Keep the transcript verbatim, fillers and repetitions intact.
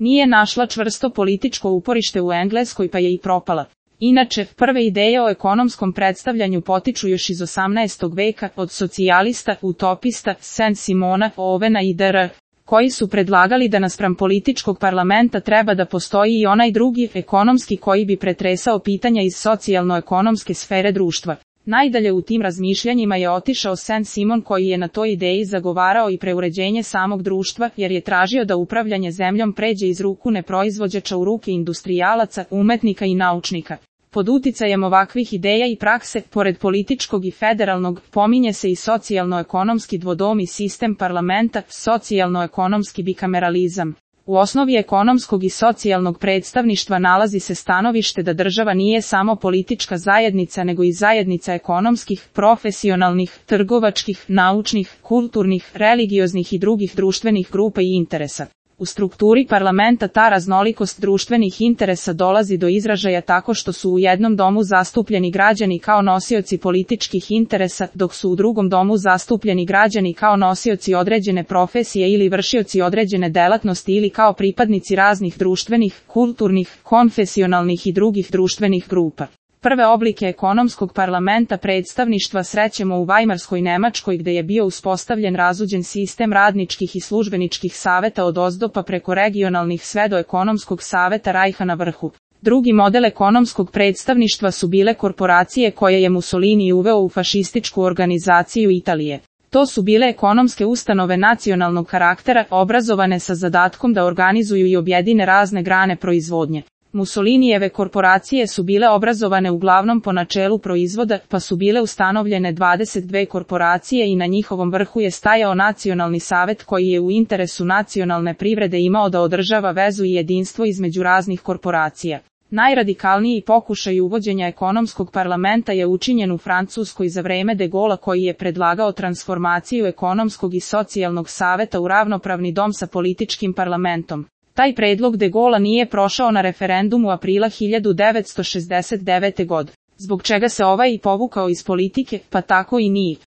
Nije našla čvrsto političko uporište u Engleskoj pa je i propala. Inače, prve ideje o ekonomskom predstavljanju potiču još iz osamnaestog veka od socijalista, utopista, Saint-Simona, Ovena i dr., koji su predlagali da naspram političkog parlamenta treba da postoji i onaj drugi, ekonomski, koji bi pretresao pitanja iz socijalno-ekonomske sfere društva. Najdalje u tim razmišljanjima je otišao Saint-Simon koji je na toj ideji zagovarao i preuređenje samog društva, jer je tražio da upravljanje zemljom pređe iz ruku neproizvođača u ruke industrijalaca, umetnika i naučnika. Pod uticajem ovakvih ideja i prakse, pored političkog i federalnog, pominje se i socijalno-ekonomski dvodomni sistem parlamenta, socijalno-ekonomski bikameralizam. U osnovi ekonomskog i socijalnog predstavništva nalazi se stanovište da država nije samo politička zajednica nego i zajednica ekonomskih, profesionalnih, trgovačkih, naučnih, kulturnih, religioznih i drugih društvenih grupa i interesa. U strukturi parlamenta ta raznolikost društvenih interesa dolazi do izražaja tako što su u jednom domu zastupljeni građani kao nosioci političkih interesa, dok su u drugom domu zastupljeni građani kao nosioci određene profesije ili vršioci određene delatnosti ili kao pripadnici raznih društvenih, kulturnih, konfesionalnih i drugih društvenih grupa. Prve oblike ekonomskog parlamenta predstavništva srećemo u Vajmarskoj Nemačkoj gde je bio uspostavljen razuđen sistem radničkih i službeničkih saveta od ozdo pa preko regionalnih sve do ekonomskog saveta Rajha na vrhu. Drugi model ekonomskog predstavništva su bile korporacije koje je Mussolini uveo u fašističku organizaciju Italije. To su bile ekonomske ustanove nacionalnog karaktera, obrazovane sa zadatkom da organizuju i objedine razne grane proizvodnje. Mussolinijeve korporacije su bile obrazovane uglavnom po načelu proizvoda, pa su bile ustanovljene dvadeset dve korporacije i na njihovom vrhu je stajao nacionalni savet koji je u interesu nacionalne privrede imao da održava vezu i jedinstvo između raznih korporacija. Najradikalniji pokušaj uvođenja ekonomskog parlamenta je učinjen u Francuskoj za vreme de Gaulea koji je predlagao transformaciju ekonomskog i socijalnog saveta u ravnopravni dom sa političkim parlamentom. Taj predlog de Gaulea nije prošao na referendumu aprila hiljadu devetsto šezdeset devete. godine, zbog čega se ovaj i povukao iz politike, pa tako i nije.